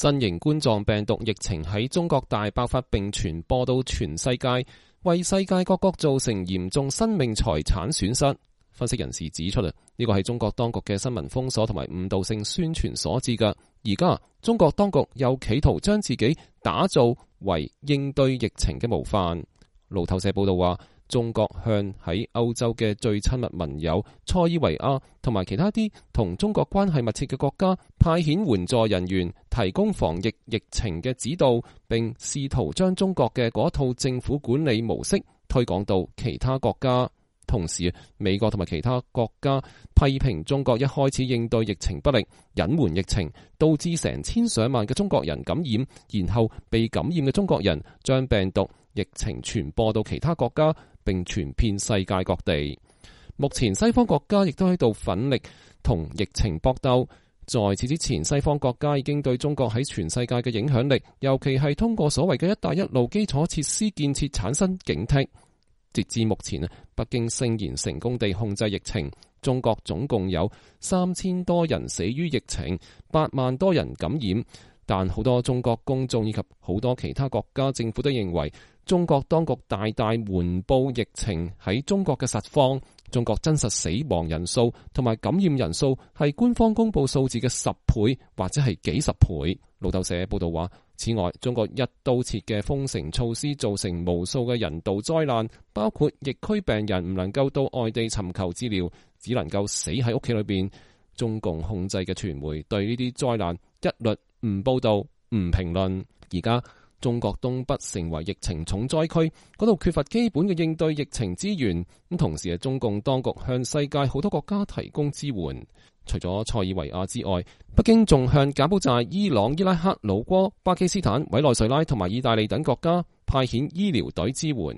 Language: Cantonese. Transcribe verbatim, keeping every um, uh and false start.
新型冠狀病毒疫情喺中國大爆發並傳播到全世界，為世界各國造成嚴重生命財產損失。分析人士指出啊，呢個係中國當局嘅新聞封鎖同埋誤導性宣傳所致㗎。而家中國當局又企圖將自己打造為應對疫情嘅模範。路透社報道話，中國向喺歐洲嘅最親密盟友塞爾維亞同埋其他啲同中國關係密切嘅國家派遣援助人員，提供防疫疫情嘅指導，並試圖將中國嘅嗰套政府管理模式推廣到其他國家。同時，美國同埋其他國家批評中國一開始應對疫情不力，隱瞞疫情，導致成千上萬嘅中國人感染，然後被感染嘅中國人將病毒疫情傳播到其他國家，並傳遍世界各地。目前西方國家亦都喺度奮力同疫情搏鬥。在此之前，西方國家已經對中國喺全世界嘅影響力，尤其係通過所謂嘅一帶一路基礎設施建設產生警惕。截至目前，北京聲言成功地控制疫情，中國總共有三千多人死於疫情，八萬多人感染。但好多中國公眾以及好多其他國家政府都認為，中國當局大大瞞報疫情喺中國嘅實況。中國真實死亡人數同埋感染人數係官方公布數字嘅十倍或者係幾十倍。路透社報道話，此外，中國一刀切嘅封城措施造成無數嘅人道災難，包括疫區病人唔能夠到外地尋求治療，只能夠死喺屋企裏邊。中共控制嘅傳媒對呢啲災難一律唔報道、唔評論。而家中國東北成為疫情重災區，嗰度缺乏基本嘅應對疫情資源。咁同時，中共當局向世界好多國家提供支援。除咗塞爾維亞之外，北京仲向柬埔寨、伊朗、伊拉克、老撾、巴基斯坦、委內瑞拉同埋意大利等國家派遣醫療隊支援。